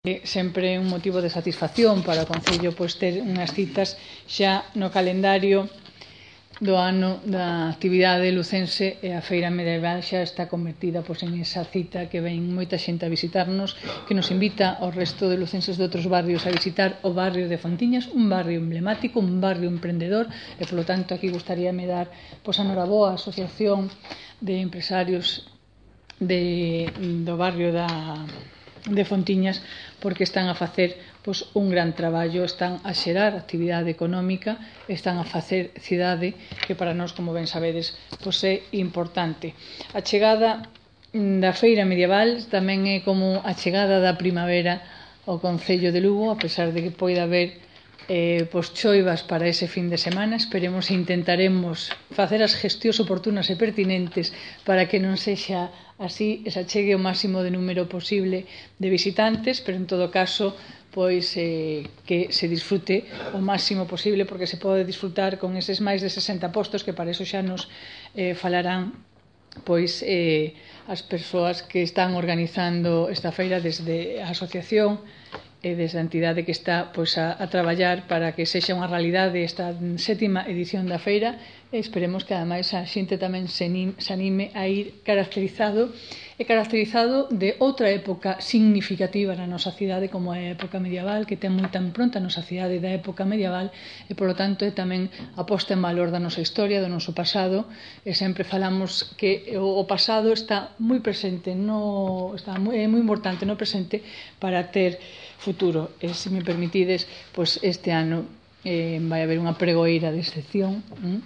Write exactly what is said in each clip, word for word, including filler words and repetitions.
É sempre un motivo de satisfacción para o Concello pois, ter unhas citas xa no calendario do ano da actividade lucense e a Feira Medieval xa está convertida pois, en esa cita que ven moita xente a visitarnos, que nos invita ao resto de lucenses de outros barrios a visitar o barrio de Fontiñas, un barrio emblemático, un barrio emprendedor e, polo tanto, aquí gustaríame dar pois, a noraboa á Asociación de Empresarios de, do barrio da de Fontiñas porque están a facer pois, un gran traballo, están a xerar actividade económica, están a facer cidade que para nós, como ben sabedes, pois, é importante. A chegada da Feira Medieval tamén é como a chegada da primavera ao Concello de Lugo, a pesar de que poida haber eh, pois, choivas para ese fin de semana. Esperemos e intentaremos facer as gestións oportunas e pertinentes para que non sexa así, se achegue o máximo de número posible de visitantes, pero en todo caso pois eh, que se disfrute o máximo posible, porque se pode disfrutar con eses máis de sesenta postos que para eso xa nos eh, falarán pois eh, as persoas que están organizando esta feira desde a asociación e desde a entidade que está pois, a, a traballar para que sexa unha realidade esta sétima edición da feira e esperemos que ademais a xente tamén se, se anime a ir caracterizado e caracterizado de outra época significativa na nosa cidade como é a época medieval, que ten moita impronta a nosa cidade da época medieval e polo tanto é tamén a posta en valor da nosa historia, do noso pasado e sempre falamos que o pasado está moi presente, no, está moi, é moi importante no presente para ter futuro. E se me permitides, pois este ano eh, vai haber unha pregoeira de excepción, hm?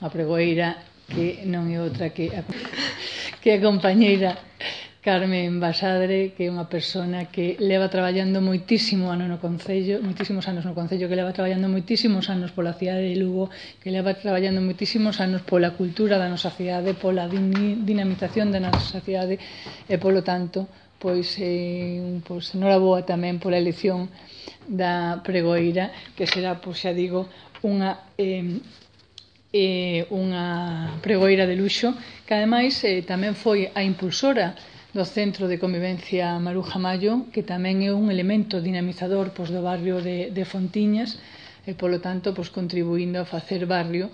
Unha pregoeira que non é outra que a, que a compañeira Carmen Basadre, que é unha persona que leva traballando moitísimo ano no Concello, moitísimos anos no Concello, que leva traballando moitísimos anos pola cidade de Lugo, que leva traballando moitísimos anos pola cultura da nosa cidade, pola dinamización da nosa cidade e, polo tanto, pois, eh, pois noraboa tamén pola elección da pregoeira, que será, pois xa digo, unha eh, eh, unha pregoeira de luxo, que ademais eh, tamén foi a impulsora do Centro de Convivencia Maruja Mayo, que tamén é un elemento dinamizador pois, do barrio de, de Fontiñas, e, polo tanto, pois, contribuindo a facer barrio